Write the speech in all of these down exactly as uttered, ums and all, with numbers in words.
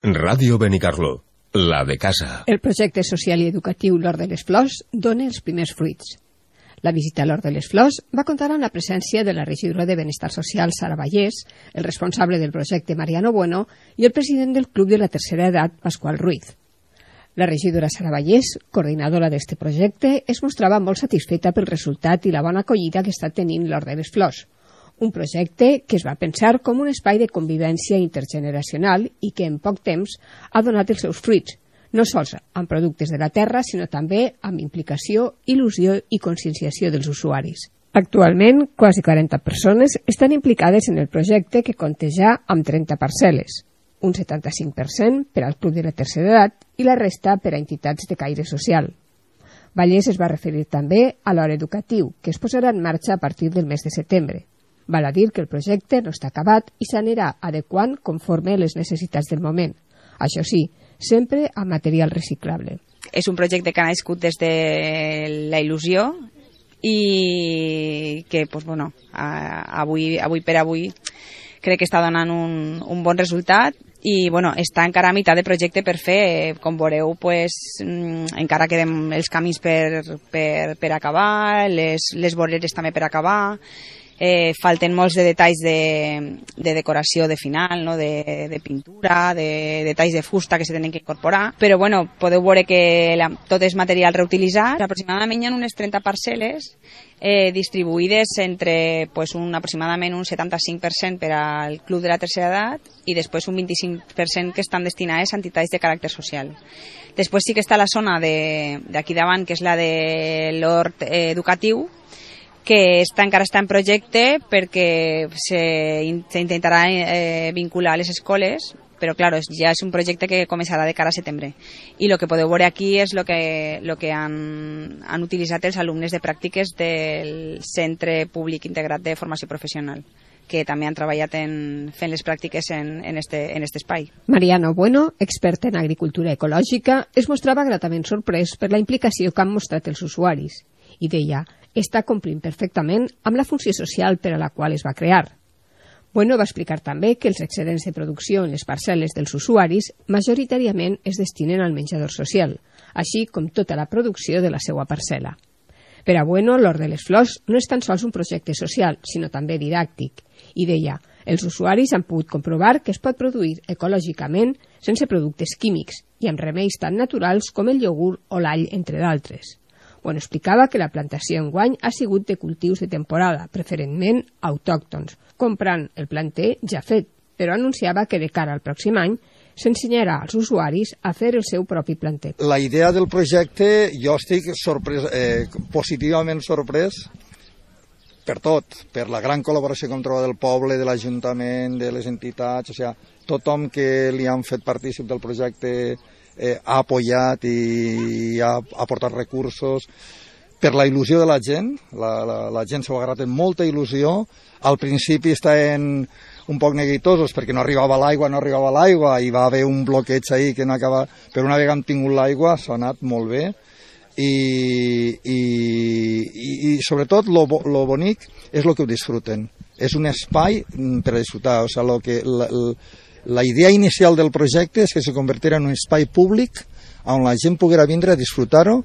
Ràdio Benicarló, la de casa. El projecte social i educatiu L'Hort de les Flors dona els primers fruits. La visita a l'Hort de les Flors va comptar amb la presència de la regidora de Benestar Social, Sara Vallès, el responsable del projecte, Mariano Bueno, i el president del Club de la Tercera Edat, Pasqual Ruiz. La regidora Sara Vallès, coordinadora d'este projecte, es mostrava molt satisfeta pel resultat i la bona acollida que està tenint l'Hort de les Flors. Un projecte que es va pensar com un espai de convivència intergeneracional i que en poc temps ha donat els seus fruits, no sols amb productes de la terra, sinó també amb implicació, il·lusió i conscienciació dels usuaris. Actualment, quasi quaranta persones estan implicades en el projecte que compta ja amb trenta parcel·les, un setanta-cinc per cent per al Club de la Tercera Edat i la resta per a entitats de caire social. Vallès es va referir també a l'hora educatiu, que es posarà en marxa a partir del mes de setembre. Val a dir que el projecte no està acabat i s'anirà adequant conforme les necessitats del moment. Això sí, sempre amb material reciclable. És un projecte que ha nascut des de la il·lusió i que, pues, bueno, avui, avui per avui crec que està donant un, un bon resultat i, bueno, està encara a meitat de projecte per fer. Com veureu, pues, encara queden els camins per, per, per acabar, les, les voreres també per acabar. Eh, falten molts de detalls de, de decoració de final, no? de, de pintura, de detalls de fusta que se tenen que incorporar, però bueno, podeu veure que la, tot és material reutilitzat. Aproximadament hi ha unes trenta parcel·les eh, distribuïdes entre pues, un, aproximadament un setanta-cinc per cent per al Club de la Tercera Edat i després un vint-i-cinc per cent que estan destinades a entitats de caràcter social. Després sí que està la zona d'aquí davant, que és la de l'hort eh, educatiu, que està, encara està en projecte perquè s'intentarà eh, vincular les escoles, però clar, ja és un projecte que començarà de cara a setembre. I el que podeu veure aquí és el que, lo que han, han utilitzat els alumnes de pràctiques del Centre Públic Integrat de Formació Professional, que també han treballat en, fent les pràctiques en, en, este, en este espai. Mariano Bueno, expert en agricultura ecològica, es mostrava gratament sorprès per la implicació que han mostrat els usuaris i deia està complint perfectament amb la funció social per a la qual es va crear. Bueno va explicar també que els excedents de producció en les parcel·les dels usuaris majoritàriament es destinen al menjador social, així com tota la producció de la seva parcel·la. Per a Bueno, l'Hort de les Flors no és tan sols un projecte social, sinó també didàctic, i deia, els usuaris han pogut comprovar que es pot produir ecològicament sense productes químics i amb remeis tan naturals com el iogurt o l'all, entre d'altres. Bueno, explicava que la plantació enguany ha sigut de cultius de temporada, preferentment autòctons, comprant el planter ja fet, però anunciava que de cara al pròxim any s'ensenyarà als usuaris a fer el seu propi planter. La idea del projecte, jo estic sorprès, eh, positivament sorprès per tot, per la gran col·laboració que hem trobat del poble, de l'Ajuntament, de les entitats, o sigui, tothom que li han fet partícip del projecte Eh, ha apoyat i ha aportat recursos, per la il·lusió de la gent, la, la, la gent s'ho ha agarrat amb molta il·lusió. Al principi estaven un poc neguitosos perquè no arribava l'aigua, no arribava l'aigua i va haver un bloqueig ahí que no acaba, però una vegada hem tingut l'aigua s'ha anat molt bé i, i, i, i sobretot lo, lo bonic és el que ho disfruten, és un espai per a disfrutar, o sigui, lo que la, la, La idea inicial del projecte és que se convertirà en un espai públic on la gent poguera vindre a disfrutar-ho,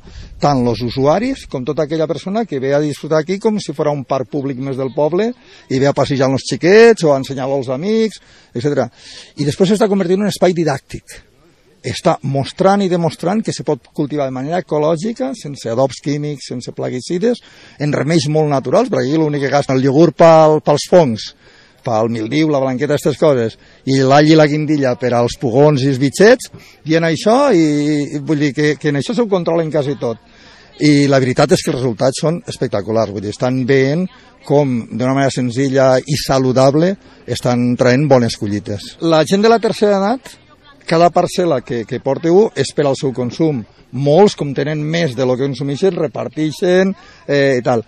tant els usuaris com tota aquella persona que ve a disfrutar aquí com si fos un parc públic més del poble i ve a passejar els xiquets o a ensenyar-lo als amics, etcètera. I després s'està convertint en un espai didàctic. Està mostrant i demostrant que se pot cultivar de manera ecològica, sense adobs químics, sense plaguicides, en remeis molt naturals, perquè aquí l'únic que gasta el iogurt pel, pels fongs, pel mildiu, la blanqueta, aquestes coses, i l'all i la guindilla per als pugons i els bitxets, i en això, i, vull dir que, que en això s'ho controlen quasi tot. I la veritat és que els resultats són espectaculars, vull dir, estan veient com d'una manera senzilla i saludable estan traient bones collites. La gent de la tercera edat, cada parcel·la que, que porteu és per al seu consum. Molts, com tenen més de lo que consumeixen, reparteixen eh, i tal.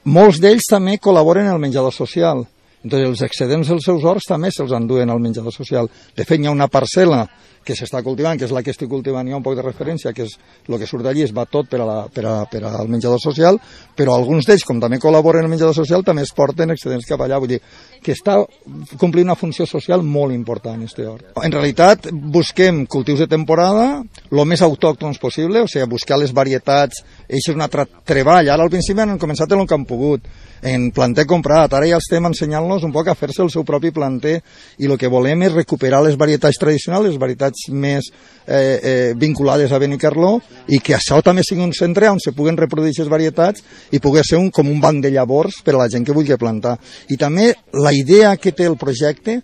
Molts d'ells també col·laboren en el menjador social. Entonces, els excedents dels seus horts també se'ls enduen al menjador social. De fet, hi ha una parcel·la que s'està cultivant, que és la que estic cultivant jo un poc de referència, que és el que surt d'allí, es va tot per, a la, per, a, per al menjador social, però alguns d'ells, com també col·laboren en el menjador social, també es porten excedents cap allà. Vull dir que està complint una funció social molt important, este hort. En realitat, busquem cultius de temporada, el més autòctons possible, o sigui, buscar les varietats, això és un altre treball. Ara al principi han començat en el que han pogut, en planter comprat, ara ja estem ensenyant-los un poc a fer-se el seu propi planter i el que volem és recuperar les varietats tradicionals, les varietats més eh, eh, vinculades a Benicarló, i que això també sigui un centre on se puguen reproduir aquestes varietats i pugui ser un, com un banc de llavors per a la gent que vulgui plantar. I també la idea que té el projecte,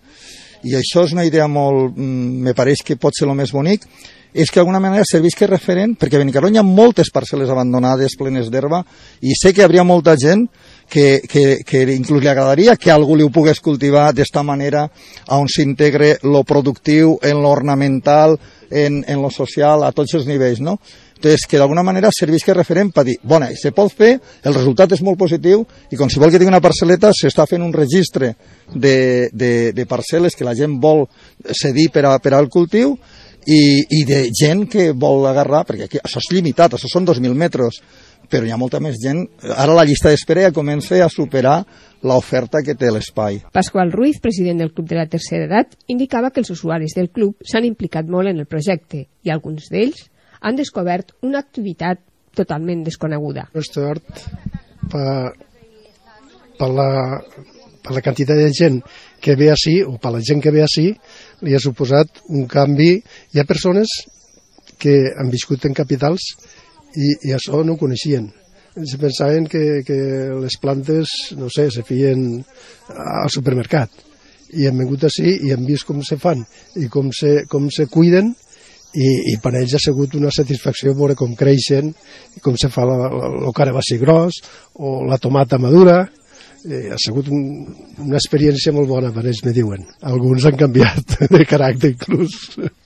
i això és una idea molt, me pareix que pot ser el més bonic, és que d'alguna manera servisca referent, perquè a Benicarló hi ha moltes parcel·les abandonades, plenes d'herba, i sé que hi hauria molta gent que, que, que inclús li agradaria que algú li ho pogués cultivar d'esta manera, on s'integre lo productiu en lo ornamental, en, en lo social, a tots els nivells, no? Entonces, que d'alguna manera servisca referent per dir, bona, se pot fer, el resultat és molt positiu, i qualsevol que tingui una parcel·leta s'està fent un registre de, de, de parcel·les que la gent vol cedir per, a, per al cultiu, i, i de gent que vol agarrar, perquè aquí, això és limitat, això són dos mil metres, però hi ha molta més gent. Ara la llista d'espera ja comença a superar l'oferta que té l'espai. Pasqual Ruiz, president del Club de la Tercera Edat, indicava que els usuaris del club s'han implicat molt en el projecte i alguns d'ells han descobert una activitat totalment desconeguda. Este hort, per, per, la, per la quantitat de gent que ve així, o per la gent que ve així, li ha suposat un canvi. Hi ha persones que han viscut en capitals i, i això no ho coneixien. Se pensaven que, que les plantes, no sé, se feien al supermercat. I han vingut així i han vist com se fan i com se, com se cuiden, i, i per ells ha sigut una satisfacció veure com creixen, i com se fa el carabassi gros o la tomata madura. Eh, ha sigut un, una experiència molt bona per ells, me diuen. Alguns han canviat de caràcter inclús.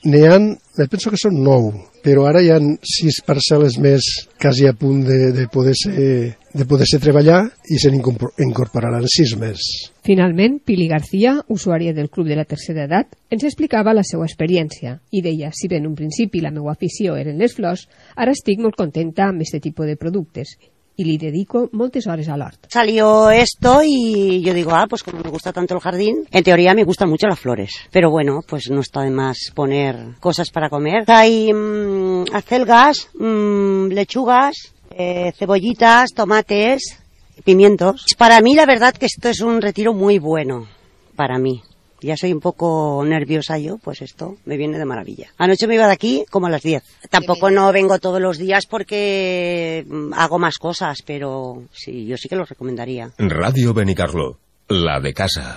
N'hi ha, penso que són nou, però ara hi ha sis parcel·les més quasi a punt de, de, poder ser, de poder ser treballar, i se n'incorporaran sis més. Finalment, Pili García, usuària del Club de la Tercera Edat, ens explicava la seva experiència i deia, si bé en un principi la meva afició eren les flors, ara estic molt contenta amb aquest tipus de productes y le dedico moltes horas al hort. Salió esto y yo digo, ah, pues como me gusta tanto el jardín, en teoría me gustan mucho las flores, pero bueno, pues no está de más poner cosas para comer. Hay mmm, acelgas, mmm, lechugas, eh, cebollitas, tomates, pimientos. Para mí la verdad que esto es un retiro muy bueno, para mí. Ya soy un poco nerviosa yo, pues esto me viene de maravilla. Anoche me iba de aquí como a las diez. Tampoco no vengo todos los días porque hago más cosas, pero sí, yo sí que lo recomendaría. Radio Benicarló, la de casa.